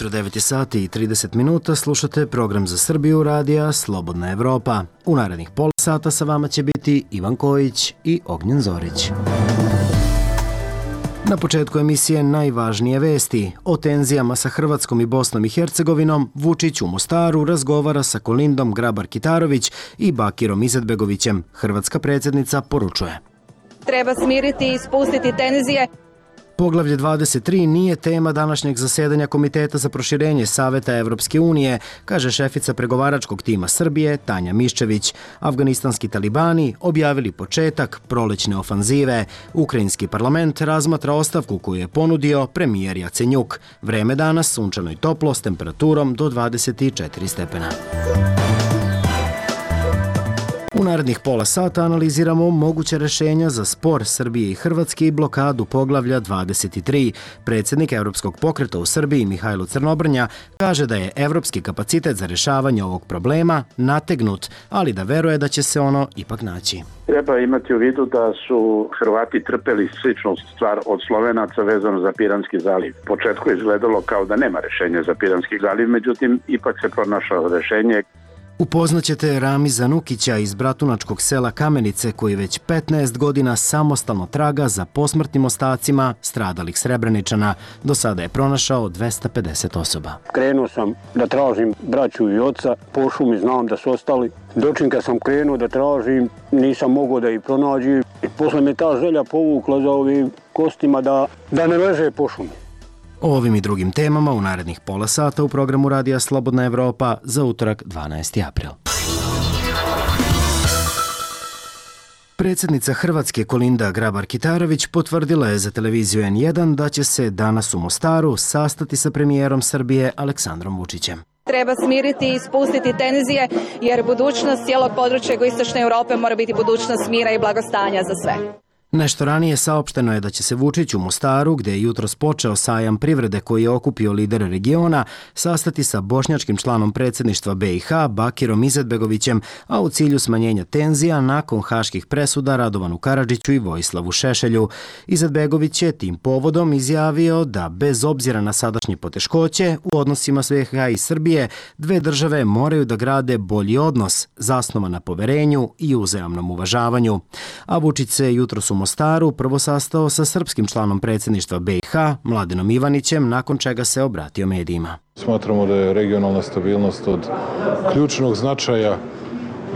jutro, 9 sati i 30 minuta, slušate program za Srbiju radija Slobodna Evropa. U narednih pola sata sa vama će biti Ivan Kojić i Ognjen Zorić. Na početku emisije najvažnije vesti. O tenzijama sa Hrvatskom i Bosnom i Hercegovinom Vučić u Mostaru razgovara sa Kolindom Grabar-Kitarović i Bakirom Izetbegovićem. Hrvatska predsjednica poručuje: treba smiriti i spustiti tenzije. Poglavlje 23 nije tema današnjeg zasedanja Komiteta za proširenje Saveta Evropske unije, kaže šefica pregovaračkog tima Srbije Tanja Miščević. Afganistanski talibani objavili početak prolećne ofanzive. Ukrajinski parlament razmatra ostavku koju je ponudio premijer Jacenjuk. Vreme danas sunčano i toplo s temperaturom do 24 stepena. U narednih pola sata analiziramo moguće rješenja za spor Srbije i Hrvatske i blokadu poglavlja 23. Predsjednik Europskog pokreta u Srbiji Mihajlo Crnobrnja kaže da je evropski kapacitet za rješavanje ovog problema nategnut, ali da veruje da će se ono ipak naći. Treba imati u vidu da su Hrvati trpeli sličnu stvar od Slovenaca vezano za Piranski zaliv. U početku je izgledalo kao da nema rješenja za Piranski zaliv, međutim ipak se pronašlo rješenje. Upoznaćete Ramiza Nukića iz bratunačkog sela Kamenice koji već 15 godina samostalno traga za posmrtnim ostacima stradalih Srebreničana. Do sada je pronašao 250 osoba. Krenuo sam da tražim braću i oca, po šumi znam da su ostali. Dočim kad sam krenuo da tražim, nisam mogao da ih pronađem. I posle me ta želja povukla za ovim kostima da ne leže po šumi. O ovim i drugim temama u narednih pola sata u programu Radija Slobodna Evropa za utorak 12. april. Predsjednica Hrvatske Kolinda Grabar-Kitarović potvrdila je za televiziju N1 da će se danas u Mostaru sastati sa premijerom Srbije Aleksandrom Vučićem. Treba smiriti i spustiti tenzije jer budućnost cijelog područja jugoistočne Europe mora biti budućnost mira i blagostanja za sve. Nešto ranije saopšteno je da će se Vučić u Mostaru, gdje je jutros počeo sajam privrede koji je okupio lidere regiona, sastati sa bošnjačkim članom predsjedništva BiH Bakirom Izetbegovićem, a u cilju smanjenja tenzija nakon haških presuda Radovanu Karadžiću i Vojislavu Šešelju. Izetbegović je tim povodom izjavio da bez obzira na sadašnje poteškoće u odnosima s BiH i Srbije, dve države moraju da grade bolji odnos, zasnovan na poverenju i uzajamnom uvažavanju. A Vučić se jutros u Mostaru prvo sastao sa srpskim članom predsjedništva BiH, Mladenom Ivanićem, nakon čega se obratio medijima. Smatramo da je regionalna stabilnost od ključnog značaja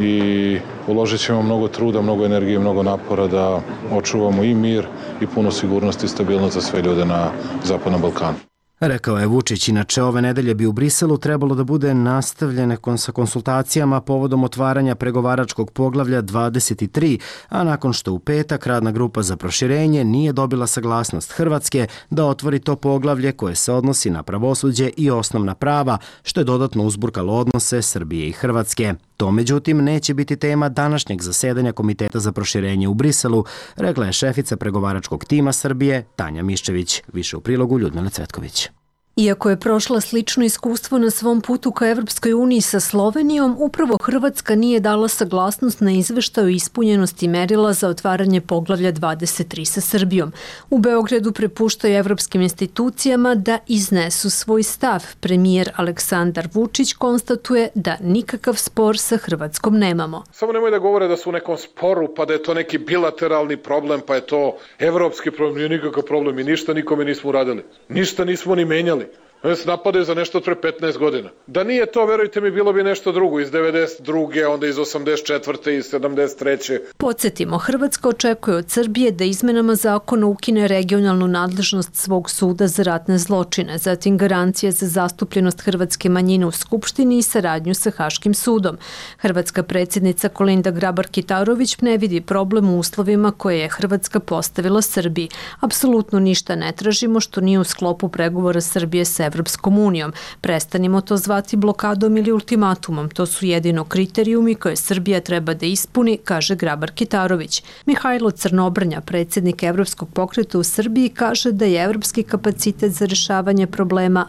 i uložit ćemo mnogo truda, mnogo energije, mnogo napora da očuvamo i mir i puno sigurnosti i stabilnost za sve ljude na Zapadnom Balkanu. Rekao je Vučić, inače ove nedelje bi u Briselu trebalo da bude nastavljene sa konsultacijama povodom otvaranja pregovaračkog poglavlja 23, a nakon što u petak radna grupa za proširenje nije dobila saglasnost Hrvatske da otvori to poglavlje koje se odnosi na pravosuđe i osnovna prava, što je dodatno uzburkalo odnose Srbije i Hrvatske. To, međutim, neće biti tema današnjeg zasedanja Komiteta za proširenje u Briselu, rekla je šefica pregovaračkog tima Srbije Tanja Miščević. Više u prilogu Ljudmila Cvetković. Iako je prošla slično iskustvo na svom putu ka Evropskoj uniji sa Slovenijom, upravo Hrvatska nije dala saglasnost na izveštaj o ispunjenosti merila za otvaranje poglavlja 23 sa Srbijom. U Beogradu prepuštaju evropskim institucijama da iznesu svoj stav. Premijer Aleksandar Vučić konstatuje da nikakav spor sa Hrvatskom nemamo. Samo nemoj da govore da su u nekom sporu, pa da je to neki bilateralni problem, pa je to evropski problem, nije nikakav problem i ništa nikome nismo uradili. Ništa nismo ni menjali. Oni se napadaju za nešto od pre 15 godina. Da nije to, verujte mi, bilo bi nešto drugo iz 92. onda iz 84. i 73. Podsjetimo, Hrvatska očekuje od Srbije da izmenama zakona ukine regionalnu nadležnost svog suda za ratne zločine, zatim garancije za zastupljenost hrvatske manjine u Skupštini i saradnju sa Haškim sudom. Hrvatska predsjednica Kolinda Grabar-Kitarović ne vidi problem u uslovima koje je Hrvatska postavila Srbiji. Apsolutno ništa ne tražimo što nije u sklopu pregovora Srbije sa Evropskom unijom. Prestanimo to zvati blokadom ili ultimatumom. To su jedino kriterijumi koje Srbija treba da ispuni, kaže Grabar-Kitarović. Mihajlo Crnobrnja, predsjednik Evropskog pokreta u Srbiji, kaže da je evropski kapacitet za rješavanje problema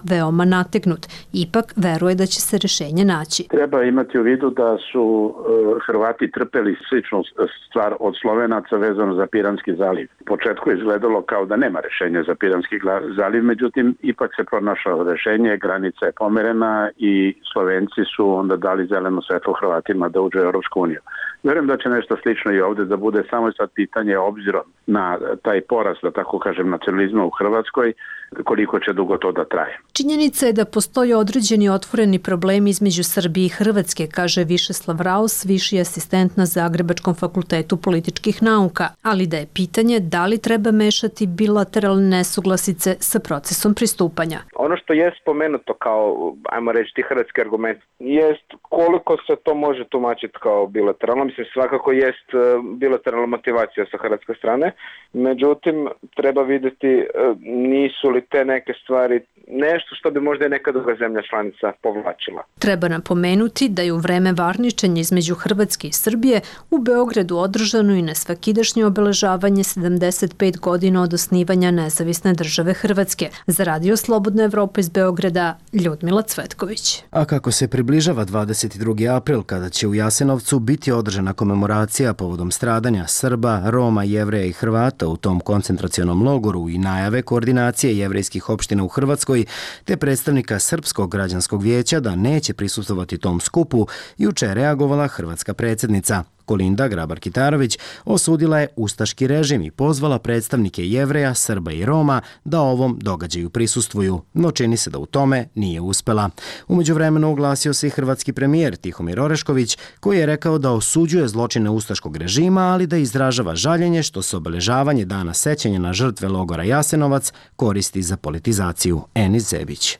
veoma nategnut. Ipak veruje da će se rješenje naći. Treba imati u vidu da su Hrvati trpeli sličnu stvar od Slovenaca vezano za Piranski zaliv. U početku je izgledalo kao da nema rješenja za Piranski zaliv, međutim ipak ipak se pronašlo rešenje, granica je pomerena i Slovenci su onda dali zeleno svetlo Hrvatima da uđe u Europsku uniju. Vjerujem da će nešto slično i ovdje da bude, samo sad pitanje obzirom na taj porast, da tako kažem, nacionalizma u Hrvatskoj, koliko će dugo to da traje. Činjenica je da postoje određeni otvoreni problemi između Srbije i Hrvatske, kaže Višeslav Raus, viši asistent na Zagrebačkom fakultetu političkih nauka, ali da je pitanje da li treba mešati bilateralne nesuglasice sa procesom pristupanja. Ono što je spomenuto kao, ajmo reći, ti hrvatski argument, jest koliko se to može tumačiti kao bilateralno. Mislim, svakako jest bilateralna motivacija sa hrvatske strane, međutim, treba vidjeti nisu li te neke stvari nešto što bi možda i neka druga zemlja članica povlačila. Treba napomenuti da je u vreme varničenja između Hrvatske i Srbije u Beogradu održano i nesvakidašnje obeležavanje 75 godina od osnivanja nezavisne države Hrvatske. Za Radio Slobodna Evropa iz Beograda, Ljudmila Cvetković. A kako se približava 22. april, kada će u Jasenovcu biti održana komemoracija povodom stradanja Srba, Roma, Jevreja i Hrvata u tom koncentracionom logoru i najave koordinacije jevrejskih opština u Hrvatskoj, te predstavnika Srpskog građanskog vijeća da neće prisustvovati tom skupu, juče je reagovala hrvatska predsjednica. Kolinda Grabar-Kitarović osudila je ustaški režim i pozvala predstavnike Jevreja, Srba i Roma da ovom događaju prisustvuju, no čini se da u tome nije uspela. U međuvremenu oglasio se i hrvatski premijer Tihomir Orešković, koji je rekao da osuđuje zločine ustaškog režima, ali da izražava žaljenje što se obeležavanje dana sećanja na žrtve logora Jasenovac koristi za politizaciju. Enis Zebić.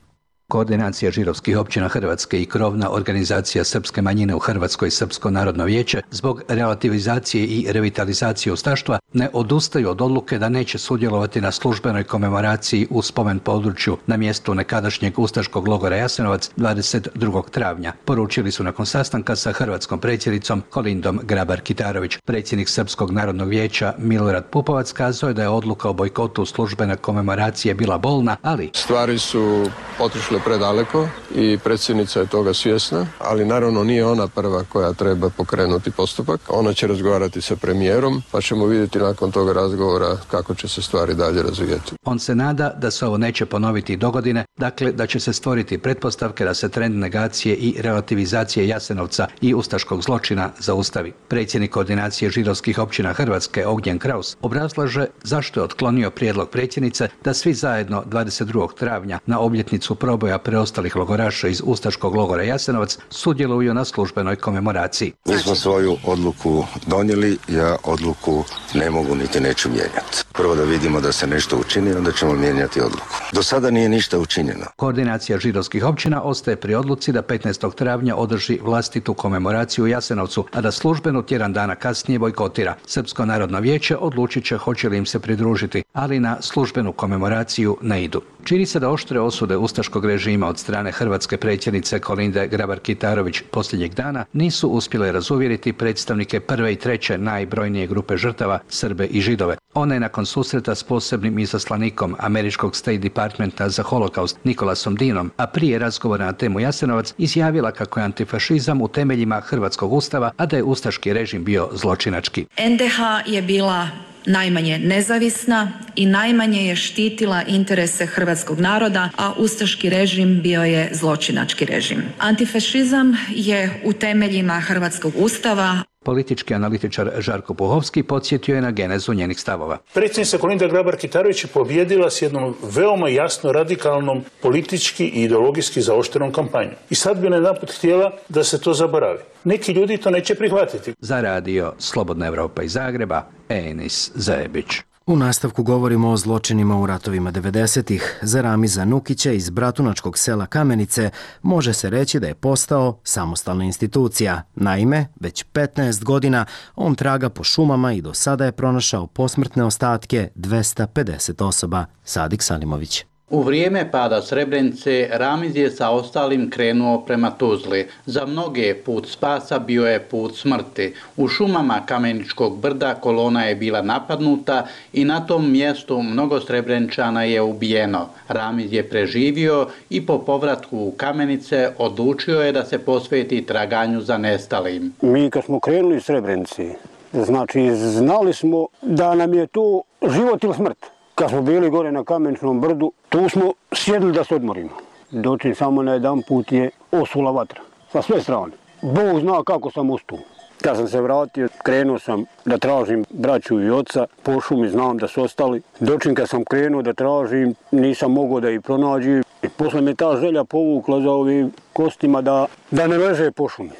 Koordinacija židovskih općina Hrvatske i krovna organizacija srpske manjine u Hrvatskoj Srpsko narodno vijeće zbog relativizacije i revitalizacije ustaštva ne odustaju od odluke da neće sudjelovati na službenoj komemoraciji u spomen području na mjestu nekadašnjeg ustaškog logora Jasenovac 22. travnja. Poručili su nakon sastanka sa hrvatskom predsjednicom Kolindom Grabar-Kitarović. Predsjednik Srpskog narodnog vijeća Milorad Pupovac kazao je da je odluka o bojkotu službene komemoracije bila bolna, ali stvari su otišle predaleko i predsjednica je toga svjesna, ali naravno nije ona prva koja treba pokrenuti postupak. Ona će razgovarati sa premijerom, pa ćemo vidjeti nakon toga razgovora kako će se stvari dalje razvijati. On se nada da se ovo neće ponoviti i dogodine, dakle da će se stvoriti pretpostavke da se trend negacije i relativizacije Jasenovca i ustaškog zločina zaustavi. Predsjednik koordinacije židovskih općina Hrvatske Ognjen Kraus obrazlaže zašto je otklonio prijedlog predsjednice da svi zajedno 22. travnja na obljetnicu proboja preostalih logoraša iz ustaškog logora Jasenovac sudjeluju na službenoj komemoraciji. Mi smo svoju odluku donijeli, ja odluku ne mogu niti neću mijenjati. Prvo da vidimo da se nešto učini, onda ćemo mijenjati odluku. Do sada nije ništa učinjeno. Koordinacija židovskih općina ostaje pri odluci da 15. travnja održi vlastitu komemoraciju u Jasenovcu, a da službenu tjedan dana kasnije bojkotira. Srpsko narodno vijeće odlučit će hoće li im se pridružiti, ali na službenu komemoraciju ne idu. Čini se da oštre osude ustaškog režima od strane hrvatske predsjednice Kolinde Grabar-Kitarović posljednjeg dana nisu uspjele razuvjeriti predstavnike prve i treće najbrojnije grupe žrtava, Srbe i Židove. Ona je nakon susreta s posebnim izaslanikom američkog State Departmenta za holokaust Nikolasom Dinom, a prije razgovora na temu Jasenovac, izjavila kako je antifašizam u temeljima hrvatskog ustava, a da je ustaški režim bio zločinački. NDH je bila najmanje nezavisna i najmanje je štitila interese hrvatskog naroda, a ustaški režim bio je zločinački režim. Antifašizam je u temeljima hrvatskog ustava. Politički analitičar Žarko Puhovski podsjetio je na genezu njenih stavova. Predsjednica Kolinda Grabar-Kitarović je pobijedila s jednom veoma jasno radikalnom politički i ideologijski zaoštrenom kampanjom. I sad bi najedanput htjela da se to zaboravi. Neki ljudi to neće prihvatiti. Za Radio Slobodna Evropa iz Zagreba, Enis Zebić. U nastavku govorimo o zločinima u ratovima 90-ih. Za Ramiza Nukića iz bratunačkog sela Kamenice može se reći da je postao samostalna institucija. Naime, već 15 godina on traga po šumama i do sada je pronašao posmrtne ostatke 250 osoba. Sadik Salimović. U vrijeme pada Srebrenice, Ramiz je sa ostalim krenuo prema Tuzli. Za mnoge put spasa bio je put smrti. U šumama Kameničkog brda kolona je bila napadnuta i na tom mjestu mnogo Srebreničana je ubijeno. Ramiz je preživio i po povratku u Kamenice odlučio je da se posveti traganju za nestalim. Mi kad smo krenuli iz Srebrenice, znači znali smo da nam je to život ili smrt. kad smo bili gore na Kameničnom brdu, tu smo sjedili da se odmorimo. Dočim samo na jedan put je osula vatra, sa sve strane. Bog zna kako sam ustao. Kad sam se vratio, krenuo sam da tražim braću i oca, po šumi znam da su ostali. Dočim kad sam krenuo da tražim, nisam mogao da ih pronađem. I posle me ta želja povukla za ovim kostima da ne leže po šumi.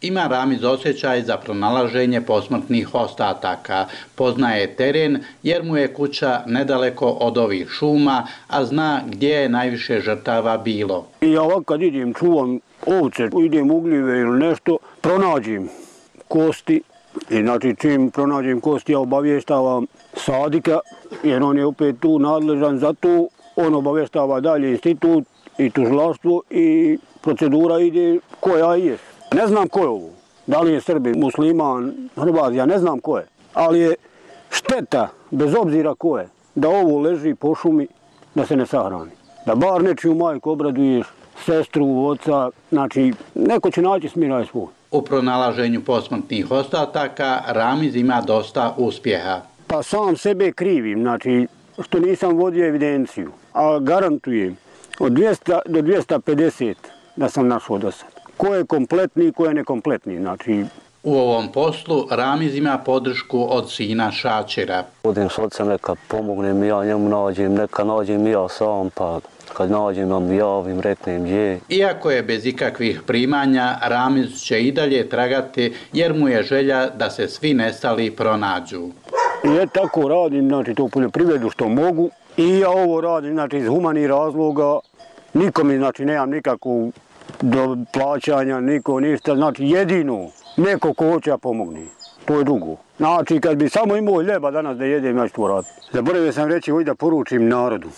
Ima Ramiz osjećaj za pronalaženje posmrtnih ostataka. Poznaje teren jer mu je kuća nedaleko od ovih šuma, a zna gdje je najviše žrtava bilo. I ja ovako kad idem, čuvam ovce, idem u gljive ili nešto, pronađem kosti. I znači čim pronađem kosti, ja obavještavam Sadika, jer on je opet tu nadležan za to. On obavještava dalje institut i tužilaštvo i procedura ide koja je. Ne znam ko je ovo, da li je Srbin, musliman, Hrvat, ja ne znam ko je, ali je šteta, bez obzira ko je, da ovo leži po šumi, da se ne sahrani. Da bar nečiju majku obraduješ, sestru, oca, znači neko će naći smiraj svoj. U pronalaženju posmrtnih ostataka Ramiz ima dosta uspjeha. Pa sam sebe krivim, znači što nisam vodio evidenciju, a garantujem od 200 do 250 da sam našao do sad. Ko je kompletni, ko je nekompletni, znači... U ovom poslu Ramiz ima podršku od sina Šačira. Odim s ocem, neka pomognem ja njemu nađem, neka nađem ja sam, pa kad nađem vam javim, reknem gdje. Iako je bez ikakvih primanja, Ramiz će i dalje tragati jer mu je želja da se svi nestali pronađu. Ja tako radim, znači to poljoprivredu što mogu i ja ovo radim, znači iz humanih razloga, nikom, znači nemam nikakvu do plaćanja, niko ništa, znači jedino neko ko hoće pomogne, to je drugo. Znači kad bi samo imao ljeba danas da jedem, ja ću to raditi. Zaboravio sam reći ovdje da poručim narodu,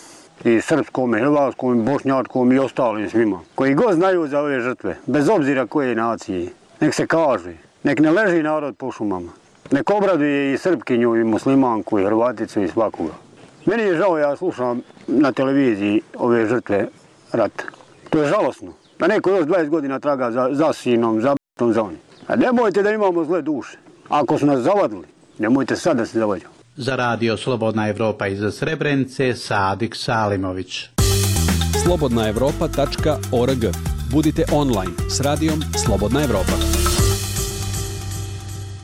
i srpskom, i hrvatskom, i bošnjačkom i ostalim svima, koji god znaju za ove žrtve, bez obzira koje nacije, nek se kaže, nek ne leži narod po šumama, nek obraduje i Srpkinju, i muslimanku, i Hrvaticu, i svakoga. Meni je žao, ja slušam na televiziji ove žrtve rata. To je žalosno. Da neko još 20 godina traga za sinom, za b***om, za onim. A nemojte da imamo zle duše. Ako su nas zavadili, nemojte sad da se zavađamo. Za Radio Slobodna Evropa iz Srebrenice, Sadik Salimović. slobodnaevropa.org. Budite online s radijom Slobodna Evropa.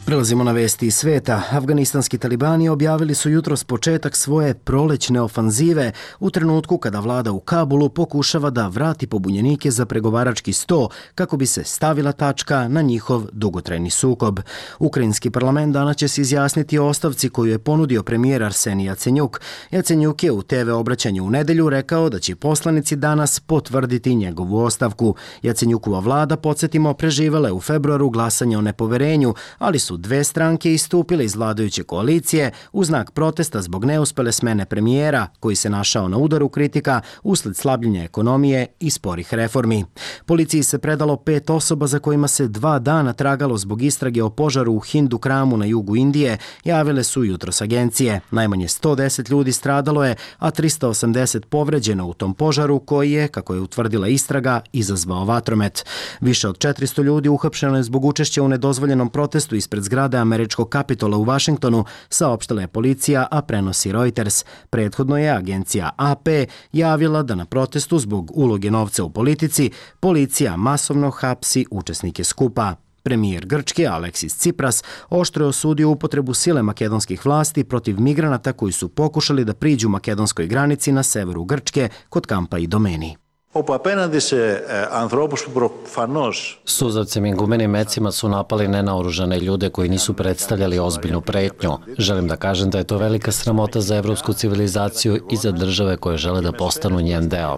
Prelazimo na vesti iz sveta. Afganistanski talibani objavili su jutros početak svoje prolećne ofanzive u trenutku kada vlada u Kabulu pokušava da vrati pobunjenike za pregovarački sto kako bi se stavila tačka na njihov dugotrajni sukob. Ukrajinski parlament danas će se izjasniti o ostavci koju je ponudio premijer Arsenij Jacenjuk. Jacenjuk je u TV obraćanju u nedelju rekao da će poslanici danas potvrditi njegovu ostavku. Jacenjukova vlada, podsjetimo, preživela je u februaru glasanje o nepoverenju, ali su dve stranke istupile iz vladajuće koalicije u znak protesta zbog neuspele smene premijera, koji se našao na udaru kritika usled slabljenja ekonomije i sporih reformi. Policiji se predalo 5 osoba za kojima se 2 dana tragalo zbog istrage o požaru u Hindu Kramu na jugu Indije, javile su jutros agencije. Najmanje 110 ljudi stradalo je, a 380 povređeno u tom požaru koji je, kako je utvrdila istraga, izazvao vatromet. Više od 400 ljudi uhapšeno je zbog učešća u nedozvoljenom protestu ispred zgrade američkog Kapitola u Vašingtonu, saopštila je policija, a prenosi Reuters. Prethodno je agencija AP javila da na protestu zbog uloge novca u politici policija masovno hapsi učesnike skupa. Premijer Grčke Aleksis Tsipras oštro je osudio upotrebu sile makedonskih vlasti protiv migranata koji su pokušali da priđu makedonskoj granici na severu Grčke kod kampa Idomeni. Suzavcem i gumenim mecima su napali nenaoružane ljude koji nisu predstavljali ozbiljnu pretnju. Želim da kažem da je to velika sramota za evropsku civilizaciju i za države koje žele da postanu njen deo.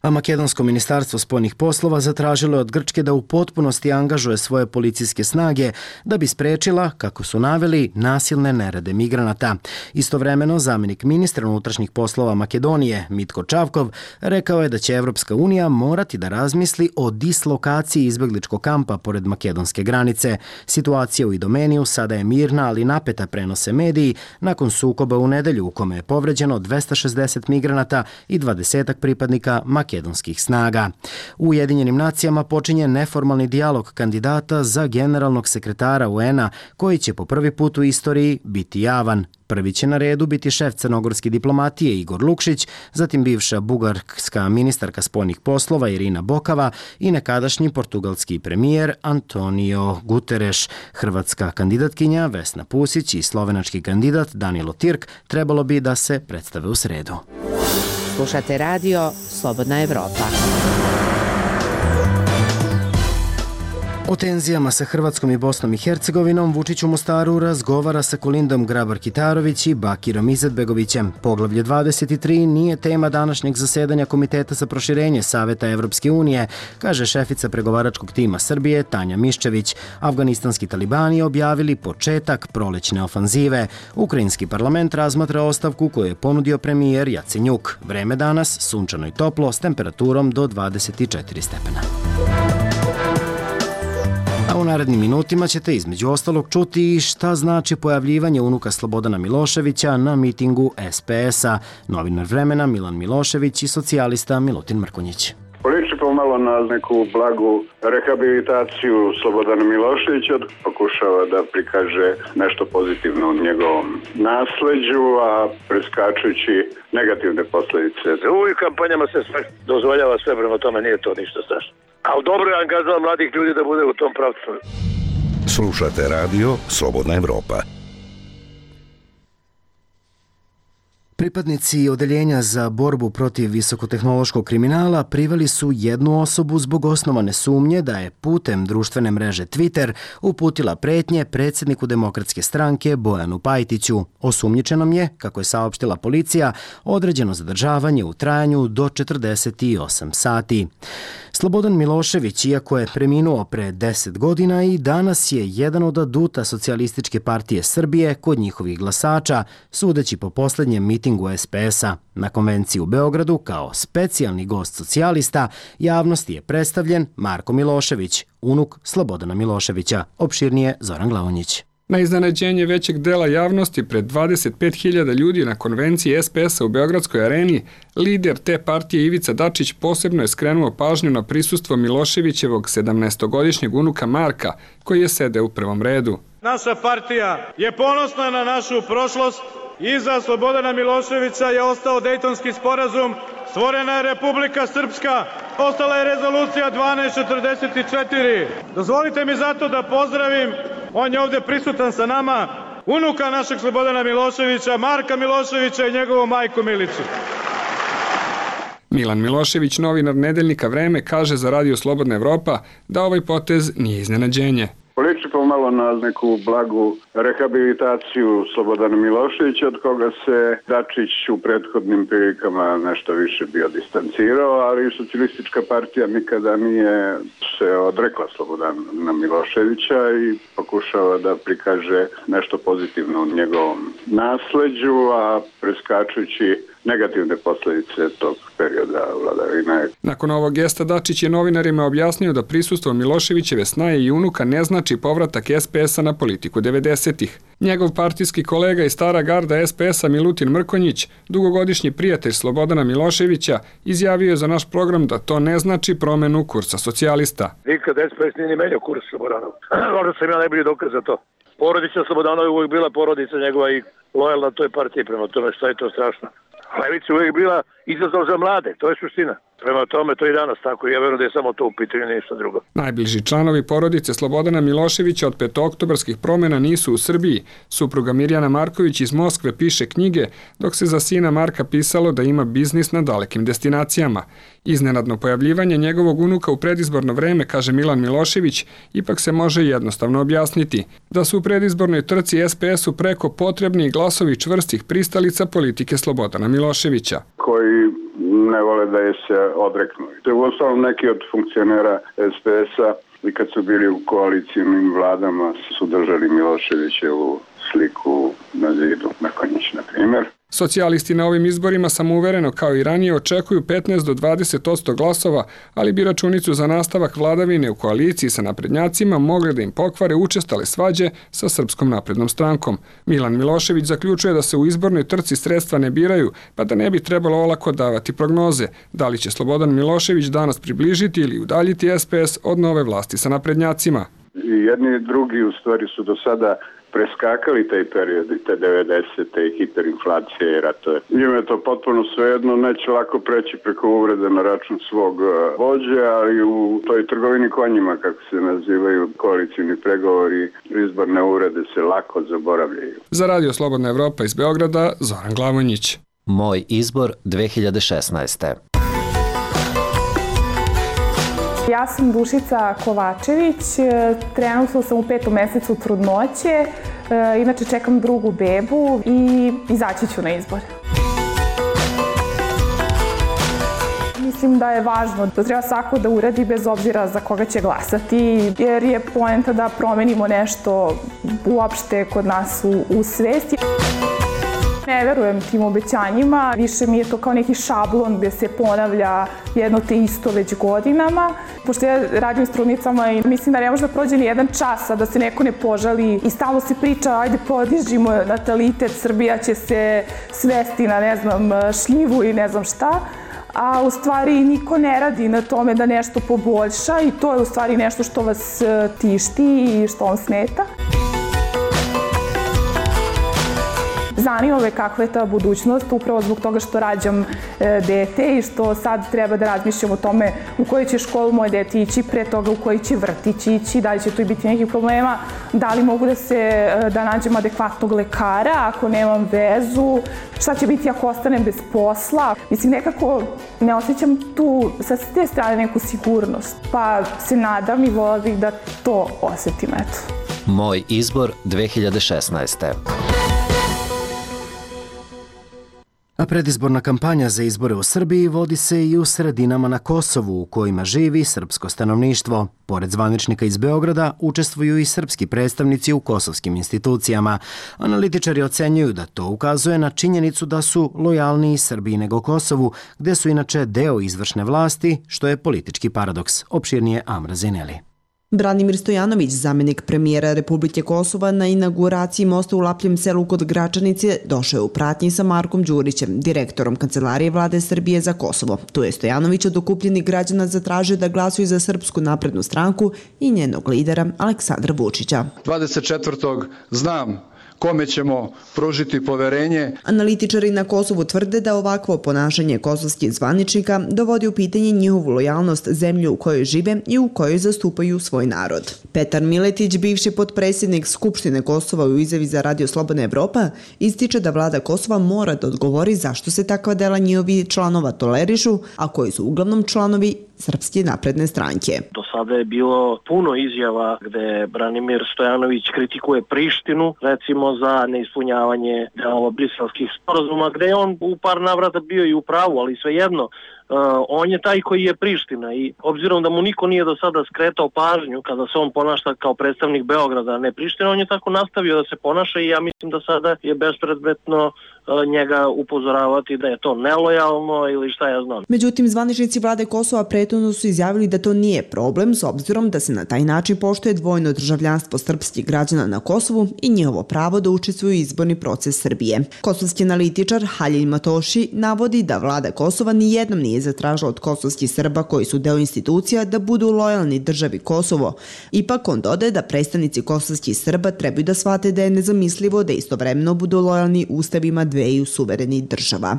A makedonsko ministarstvo spoljnih poslova zatražilo je od Grčke da u potpunosti angažuje svoje policijske snage da bi sprečila, kako su naveli, nasilne nerede migranata. Istovremeno, zamjenik ministra unutrašnjih poslova Makedonije, Mitko Čavkov, rekao je da će Evropska unija morati da razmisli o dislokaciji izbegličkog kampa pored makedonske granice. Situacija u Idomeniju sada je mirna, ali napeta, prenose mediji, nakon sukoba u nedelju u kome je povređeno 260 migranata i 20 pripadnika makedonske makedonskih snaga. U Ujedinjenim nacijama počinje neformalni dijalog kandidata za generalnog sekretara UN-a koji će po prvi put u istoriji biti javan. Prvi će na redu biti šef crnogorske diplomatije Igor Lukšić, zatim bivša bugarska ministarka spoljnih poslova Irina Bokava i nekadašnji portugalski premijer Antonio Guterres. Hrvatska kandidatkinja Vesna Pusić i slovenački kandidat Danilo Tirk trebalo bi da se predstave u sredu. Slušate radio Slobodna Evropa. O tenzijama sa Hrvatskom i Bosnom i Hercegovinom Vučić u Mostaru razgovara sa Kolindom Grabar-Kitarović i Bakirom Izetbegovićem. Poglavlje 23 nije tema današnjeg zasedanja Komiteta za proširenje Saveta Evropske unije, kaže šefica pregovaračkog tima Srbije Tanja Miščević. Afganistanski talibani objavili početak prolećne ofanzive. Ukrajinski parlament razmatra ostavku koju je ponudio premijer Jacenjuk. Vreme danas sunčano i toplo s temperaturom do 24 stepena. A u narednim minutima ćete između ostalog čuti šta znači pojavljivanje unuka Slobodana Miloševića na mitingu SPS-a, novinar Vremena Milan Milošević i socijalista Milutin Mrkonjić. Liči pomalo na neku blagu rehabilitaciju Slobodana Miloševića, pokušava da prikaže nešto pozitivno u njegovom nasleđu, a preskačući negativne posljedice. U ovih kampanjama se sve dozvoljava, sve prema tome nije to ništa strašno. Ali dobro je angažman mladih ljudi da bude u tom pravcu. Slušate radio Slobodna Evropa. Pripadnici Odeljenja za borbu protiv visokotehnološkog kriminala priveli su jednu osobu zbog osnovane sumnje da je putem društvene mreže Twitter uputila pretnje predsjedniku Demokratske stranke Bojanu Pajtiću. Osumnjičenom je, kako je saopštila policija, određeno zadržavanje u trajanju do 48 sati. Slobodan Milošević, iako je preminuo pre 10 godina, i danas je jedan od aduta Socijalističke partije Srbije kod njihovih glasača, sudeći po posljednjem mitingu SPS-a. Na konvenciji u Beogradu kao specijalni gost socijalista javnosti je predstavljen Marko Milošević, unuk Slobodana Miloševića. Opširnije Zoran Glavonjić. Na iznenađenje većeg dela javnosti pred 25.000 ljudi na konvenciji SPS-a u Beogradskoj areni, lider te partije Ivica Dačić posebno je skrenuo pažnju na prisustvo Miloševićevog 17-godišnjeg unuka Marka, koji je sedeo u prvom redu. Naša partija je ponosna na našu prošlost. Iza Slobodana Miloševića je ostao Dejtonski sporazum, stvorena je Republika Srpska, ostala je rezolucija 1244. Dozvolite mi zato da pozdravim, on je ovdje prisutan sa nama, unuka našeg Slobodana Miloševića, Marka Miloševića i njegovu majku Milicu. Milan Milošević, novinar nedeljnika Vreme, kaže za radio Slobodna Evropa da ovaj potez nije iznenađenje. Liči pomalo na neku blagu rehabilitaciju Slobodana Miloševića, od koga se Dačić u prethodnim prilikama nešto više bio distancirao, ali Socijalistička partija nikada nije se odrekla Slobodana Miloševića i pokušava da prikaže nešto pozitivno u njegovom nasleđu, a preskačući negativne posljedice tog perioda vladavine. Nakon ovog gesta Dačić je novinarima objasnio da prisustvo Miloševićeve snaje i unuka ne znači povratak SPS-a na politiku 90-ih. Njegov partijski kolega i stara garda SPS-a Milutin Mrkonjić, dugogodišnji prijatelj Slobodana Miloševića, izjavio je za naš program da to ne znači promenu kursa socijalista. Nikad SPS nije menjao kurs Slobodanov. Možda sam ja najbolji dokaz za to. Porodica Slobodanova je uvijek bila porodica njegova i lojalna toj partiji, prema tome šta je to strašno. Levica je uvijek bila izazov za mlade, to je suština. Prema tome, to i danas tako i ja verujem da je samo to u pitanju, ništa drugo. Najbliži članovi porodice Slobodana Miloševića od petooktobarskih promjena nisu u Srbiji. Supruga Mirjana Marković iz Moskve piše knjige, dok se za sina Marka pisalo da ima biznis na dalekim destinacijama. Iznenadno pojavljivanje njegovog unuka u predizborno vreme, kaže Milan Milošević, ipak se može jednostavno objasniti. Da su u predizbornoj trci SPS-u preko potrebni glasovi čvrstih pristalica politike Slobodana Miloševića. Koji ne vole da je se odreknu. To je uostalom neki od funkcionera SPS-a i kad su bili u koalicijnim vladama su držali Miloševićevu sliku na zidu Mrkonjić, na primjer. Socijalisti na ovim izborima samouvereno kao i ranije očekuju 15 do 20% glasova, ali bi računicu za nastavak vladavine u koaliciji sa naprednjacima mogli da im pokvare učestale svađe sa Srpskom naprednom strankom. Milan Milošević zaključuje da se u izbornoj trci sredstva ne biraju, pa da ne bi trebalo olako davati prognoze. Da li će Slobodan Milošević danas približiti ili udaljiti SPS od nove vlasti sa naprednjacima? I jedni i drugi u stvari su do sada preskakali taj period i te 90. i hiperinflacije i ratove. Njima je to potpuno svejedno, neće lako preći preko uvrede na račun svog vođe, ali u toj trgovini konjima, kako se nazivaju koalicijni pregovori, izborne uvrede se lako zaboravljaju. Za Radio Slobodna Evropa iz Beograda, Zoran Glavonjić. Moj izbor 2016. Ja sam Dušica Kovačević, trenutno sam u 5. mesecu trudnoće, inače čekam drugu bebu i izaći ću na izbor. Mislim da je važno da treba svako da uradi bez obzira za koga će glasati, jer je poenta da promenimo nešto uopšte kod nas u svesti. Ne verujem tim obećanjima, više mi je to kao neki šablon gdje se ponavlja jedno te isto već godinama. Pošto ja radim s trudnicama i mislim da ne može da prođe ni jedan čas, a da se neko ne požali i stalno se priča, ajde podižimo natalitet, Srbija će se svesti na ne znam šljivu i ne znam šta. A u stvari niko ne radi na tome da nešto poboljša i to je u stvari nešto što vas tišti i što vam smeta. Zanima me kakva je ta budućnost, upravo zbog toga što rađam dete i što sad treba da razmišljam o tome u koju će školu moje dete ići, pre toga u koji će vrtić ići, da li će tu biti nekih problema, da li mogu da nađem adekvatnog lekara ako nemam vezu, šta će biti ako ostanem bez posla. Mislim, nekako ne osjećam tu sa te strane neku sigurnost, pa se nadam i vola bih da to osjetim, eto. Moj izbor 2016. A predizborna kampanja za izbore u Srbiji vodi se i u sredinama na Kosovu u kojima živi srpsko stanovništvo. Pored zvaničnika iz Beograda učestvuju i srpski predstavnici u kosovskim institucijama. Analitičari ocenjuju da to ukazuje na činjenicu da su lojalniji Srbiji nego Kosovu, gde su inače deo izvršne vlasti, što je politički paradoks. Opširnije Amra Zeneli. Branimir Stojanović, zamjenik premijera Republike Kosova, na inauguraciji mosta u Lapljem selu kod Gračanice došao je u pratnji sa Markom Đurićem, direktorom Kancelarije Vlade Srbije za Kosovo. Tu je Stojanović od okupljenih građana zatražio da glasuju za Srpsku naprednu stranku i njenog lidera Aleksandra Vučića. 24. znam kome ćemo pružiti poverenje. Analitičari na Kosovu tvrde da ovakvo ponašanje kosovskih zvaničnika dovodi u pitanje njihovu lojalnost zemlju u kojoj žive i u kojoj zastupaju svoj narod. Petar Miletić, bivši potpredsjednik Skupštine Kosova u izjavi za Radio Slobodna Evropa, ističe da vlada Kosova mora da odgovori zašto se takva dela njihovi članova tolerišu, a koji su uglavnom članovi Srpske napredne stranke. Do sada je bilo puno izjava gde Branimir Stojanović kritikuje Prištinu, recimo za neispunjavanje delova briselskih sporazuma, gde je on u par navrata bio i u pravu, ali svejedno, on je taj koji je Priština i obzirom da mu niko nije do sada skretao pažnju kada se on ponaša kao predstavnik Beograda, a ne Priština, on je tako nastavio da se ponaša i ja mislim da sada je bespredmetno njega upozoravati da je to nelojalno ili šta ja znam. Međutim, zvaničnici vlade Kosova prethodno su izjavili da to nije problem s obzirom da se na taj način poštuje dvojno državljanstvo srpskih građana na Kosovu i njihovo pravo da učestvuju u izborni proces Srbije. Kosovski analitičar Halil Matoši navodi da vlada Kosova nijednom nije zatražila od kosovskih Srba koji su deo institucija da budu lojalni državi Kosovo. Ipak on dodaje da predstavnici kosovskih Srba trebaju da shvate da je nezamislivo da istovremeno budu lojalni ustavima dveju suverenih država.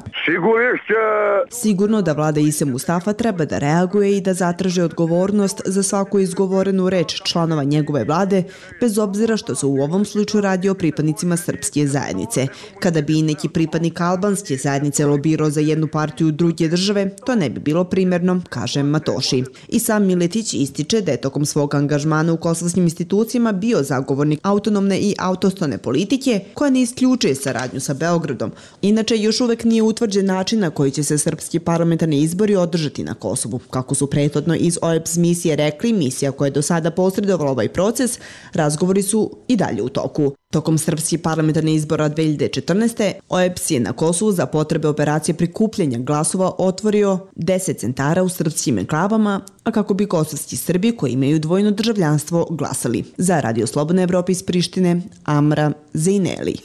Sigurno da vlada Ise Mustafa treba da reaguje i da zatraže odgovornost za svaku izgovorenu reč članova njegove vlade, bez obzira što se u ovom slučaju radi o pripadnicima srpske zajednice. Kada bi i neki pripadnik albanske zajednice lobirao za jednu partiju druge države, to ne bi bilo primjerno, kaže Matoši. I sam Miletić ističe da je tokom svog angažmana u kosovskim institucijama bio zagovornik autonomne i autostone politike koja ne isključuje saradnju sa Beogradom. Inače, još uvek nije utvrđen način na koji će se srpski parlamentarni izbori održati na Kosovu. Kako su prethodno iz OEBS misije rekli, misija koja je do sada posredovala ovaj proces, razgovori su i dalje u toku. Tokom srpskih parlamentarnih izbora 2014. OEBS je na Kosovu za potrebe operacije prikupljanja glasova otvorio 10 centara u srpskim enklavama, a kako bi kosovski Srbi koji imaju dvojno državljanstvo glasali. Za Radio Slobodna Evropa iz Prištine, Amra Zejneli.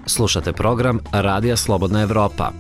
Slušate program Radija Slobodna Evropa.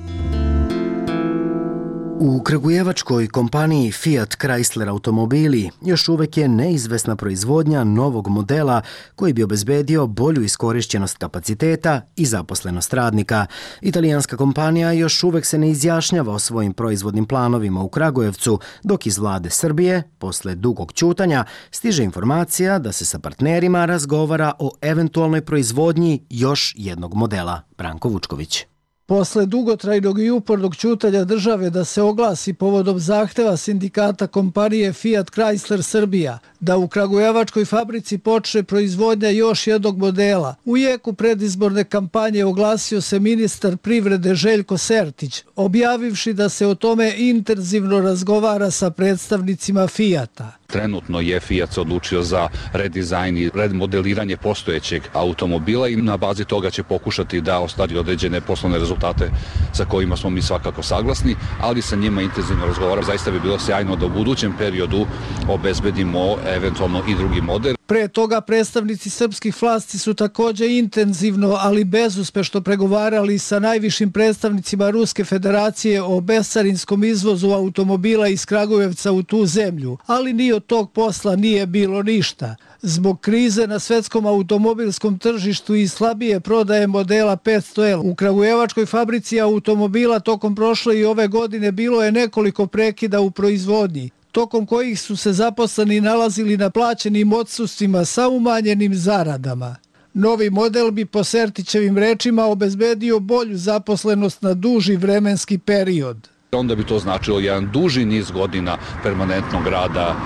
U kragujevačkoj kompaniji Fiat Chrysler automobili još uvek je neizvesna proizvodnja novog modela koji bi obezbedio bolju iskorišćenost kapaciteta i zaposlenost radnika. Italijanska kompanija još uvek se ne izjašnjava o svojim proizvodnim planovima u Kragujevcu, dok iz vlade Srbije, posle dugog ćutanja, stiže informacija da se sa partnerima razgovara o eventualnoj proizvodnji još jednog modela. Branko Vučković. Posle dugotrajnog i upornog ćutanja države da se oglasi povodom zahteva sindikata kompanije Fiat Chrysler Srbija da u kragujevačkoj fabrici počne proizvodnja još jednog modela, u jeku predizborne kampanje oglasio se ministar privrede Željko Sertić, objavivši da se o tome intenzivno razgovara sa predstavnicima Fiata. Trenutno je Fiat se odlučio za redizajn i remodeliranje postojećeg automobila i na bazi toga će pokušati da ostvari određene poslovne rezultate sa kojima smo mi svakako saglasni, ali sa njima intenzivno razgovaramo. Zaista bi bilo sjajno da u budućem periodu obezbedimo eventualno i drugi model. Pre toga predstavnici srpskih vlasti su također intenzivno, ali bezuspešno pregovarali sa najvišim predstavnicima Ruske federacije o bescarinskom izvozu automobila iz Kragujevca u tu zemlju, ali ni od tog posla nije bilo ništa. Zbog krize na svetskom automobilskom tržištu i slabije prodaje modela 500L, u kragujevačkoj fabrici automobila tokom prošle i ove godine bilo je nekoliko prekida u proizvodnji, tokom kojih su se zaposleni nalazili na plaćenim odsustvima sa umanjenim zaradama. Novi model bi po Sertićevim rečima obezbedio bolju zaposlenost na duži vremenski period. Onda bi to značilo jedan duži niz godina permanentnog rada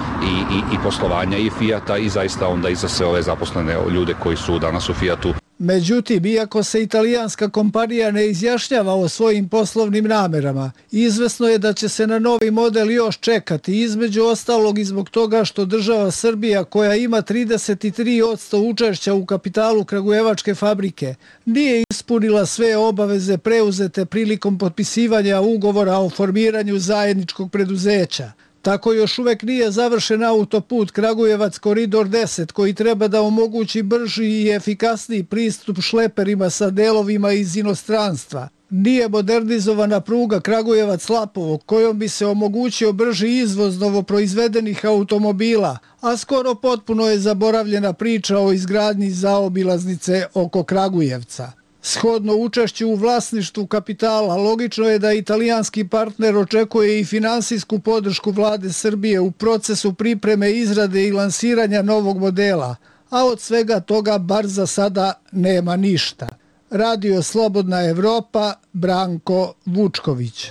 i poslovanja i Fiata i zaista onda i za sve ove zaposlene ljude koji su danas u Fiatu. Međutim, iako se italijanska kompanija ne izjašnjava o svojim poslovnim namerama, izvesno je da će se na novi model još čekati, između ostalog i zbog toga što država Srbija, koja ima 33% učešća u kapitalu kragujevačke fabrike, nije ispunila sve obaveze preuzete prilikom potpisivanja ugovora o formiranju zajedničkog preduzeća. Tako još uvek nije završen autoput Kragujevac Koridor 10 koji treba da omogući brži i efikasniji pristup šleperima sa delovima iz inostranstva. Nije modernizovana pruga Kragujevac-Lapovo kojom bi se omogućio brži izvoz novoproizvedenih automobila, a skoro potpuno je zaboravljena priča o izgradnji zaobilaznice oko Kragujevca. Shodno učešću u vlasništvu kapitala, logično je da italijanski partner očekuje i finansijsku podršku vlade Srbije u procesu pripreme, izrade i lansiranja novog modela, a od svega toga bar za sada nema ništa. Radio Slobodna Evropa, Branko Vučković.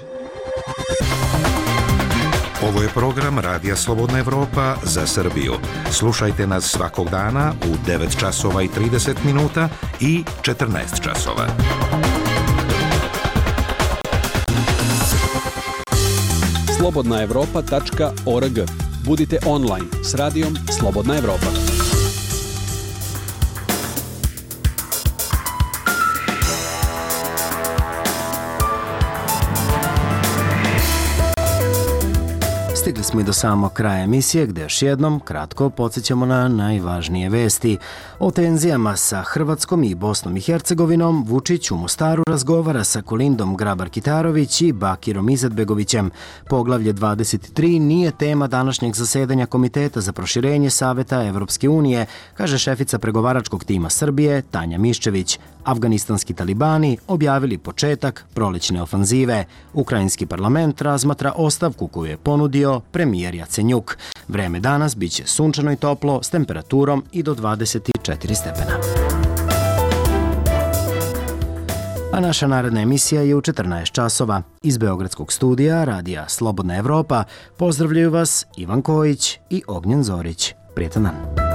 Ovo je program Radija Slobodna Evropa za Srbiju. Slušajte nas svakog dana u 9 časova i 30 minuta i 14 časova. slobodnaevropa.org. Budite online s radijom Slobodna Evropa. Stigli smo i do samog kraja emisije gde još jednom kratko podsjećamo na najvažnije vesti. O tenzijama sa Hrvatskom i Bosnom i Hercegovinom Vučić u Mostaru razgovara sa Kolindom Grabar-Kitarović i Bakirom Izetbegovićem. Poglavlje 23 nije tema današnjeg zasedanja Komiteta za proširenje Saveta Evropske unije, kaže šefica pregovaračkog tima Srbije Tanja Miščević. Afganistanski talibani objavili početak prolećne ofanzive. Ukrajinski parlament razmatra ostavku koju je ponudio premijer Jacenjuk. Vreme danas biće sunčano i toplo s temperaturom i do 24 stepena. A naša naredna emisija je u 14 časova. Iz Beogradskog studija Radija Slobodna Evropa pozdravljaju vas Ivan Kojić i Ognjen Zorić. Prijetan dan.